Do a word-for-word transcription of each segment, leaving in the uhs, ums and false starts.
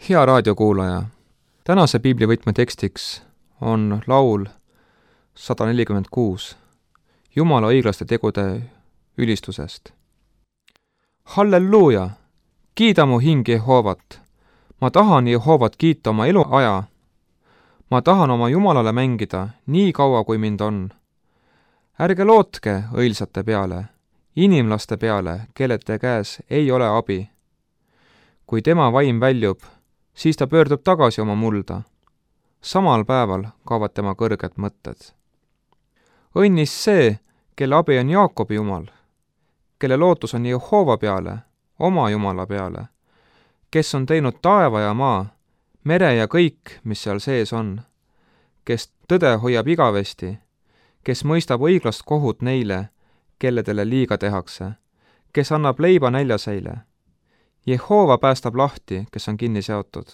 Hea raadiokuulaja, tänase piiblivõtme tekstiks on laul sada nelikümmend kuus Jumala õiglaste tegude ülistusest. Halleluuja! Kiida mu hing Jehoovat. Ma tahan Jehoovat kiita oma eluaja. Ma tahan oma Jumalale mängida nii kaua, kui mind on. Ärge lootke õilsate peale, inimlaste peale, kellete käes ei ole abi. Kui tema vaim väljub, siis ta pöördub tagasi oma mulda. Samal päeval kaovad tema kõrged mõtted. Õnnis see, kelle abi on Jaakobi Jumal, kelle lootus on Jehova peale, oma Jumala peale, kes on teinud taeva ja maa, mere ja kõik, mis seal sees on, kes tõde hoiab igavesti, kes mõistab õiglast kohut neile, kelledele liiga tehakse, kes annab leiba näljaseile. Jehova päästab lahti, kes on kinni seotud.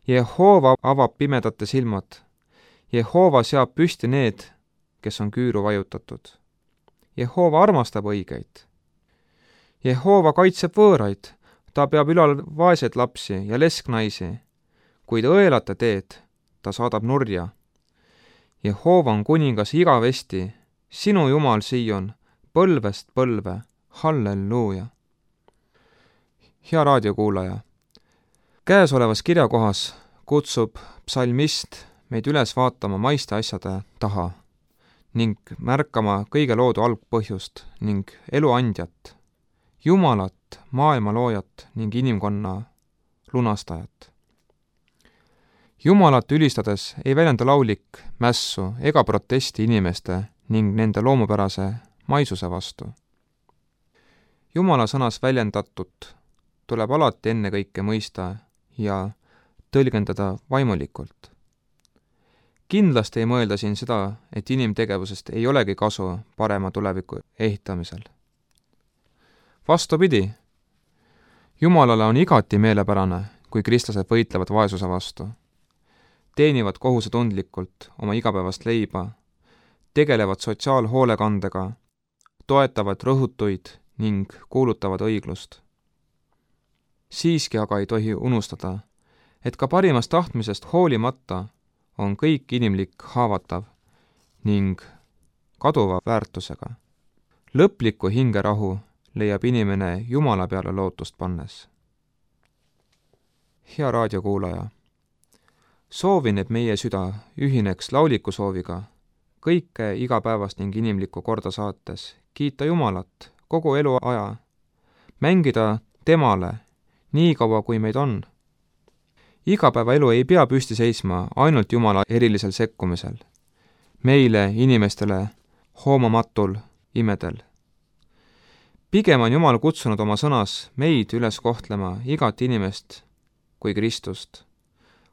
Jehova avab pimedate silmad. Jehova seab püsti need, kes on küüru vajutatud. Jehova armastab õigeid. Jehova kaitseb võõraid, ta peab ülal vaeseid lapsi ja lesknaisi, kuid õelate teed ta saadab nurja. Jehova on kuningas igavesti, sinu Jumal Sion, põlvest põlve, halleluuja. Hea raadiokuulaja, käesolevas kirjakohas kutsub psalmist meid üles vaatama maiste asjade taha ning märkama kõige loodu algpõhjust ning elu andjat, Jumalat, maailma loojat ning inimkonna lunastajat. Jumalat ülistades ei väljenda laulik mässu ega protesti inimeste ning nende loomupärase maisuse vastu. Jumala sõnas väljendatut tuleb alati ennekõike mõista ja tõlgendada vaimulikult. Kindlasti ei mõelda siin seda, et inimtegevusest ei olegi kasu parema tuleviku ehitamisel. Vastupidi, Jumalale on igati meelepärane, kui kristlased võitlevad vaesuse vastu, teenivad kohusetundlikult oma igapäevast leiba, tegelevad sotsiaalhoolekandega, toetavad rõhutuid ning kuulutavad õiglust. Siiski aga ei tohi unustada, et ka parimast tahtmisest hoolimata on kõik inimlik haavatav ning kaduva väärtusega. Lõplikku hingerahu leiab inimene Jumala peale lootust pannes. Hea raadiokuulaja, soovin, et meie süda ühineks lauliku sooviga kõike igapäevast ning inimlikku korda saates, kiita Jumalat kogu elu aja, mängida temale nii kaua, kui meid on. Igapäevaelu ei pea püsti seisma ainult Jumala erilisel sekkumisel, meile, inimestele, hoomamatul imedel. Pigem on Jumal kutsunud oma sõnas meid üles kohtlema igat inimest kui Kristust,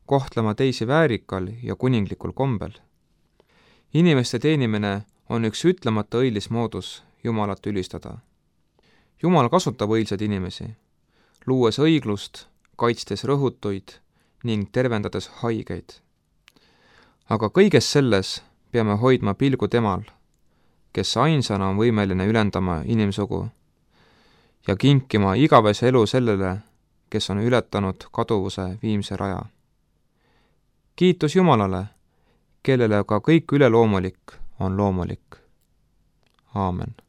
kohtlema teisi väärikal ja kuninglikul kombel. Inimeste teenimine on üks ütlemata õilis moodus Jumalat ülistada. Jumal kasutab õilsaid inimesi, luues õiglust, kaitstes rõhutuid ning tervendades haigeid. Aga kõiges selles peame hoidma pilgu temal, kes ainsana on võimeline ülendama inimsugu ja kinkima igavese elu sellele, kes on ületanud kaduvuse viimse raja. Kiitus Jumalale, kellele ka kõik üleloomulik on loomulik. Aamen.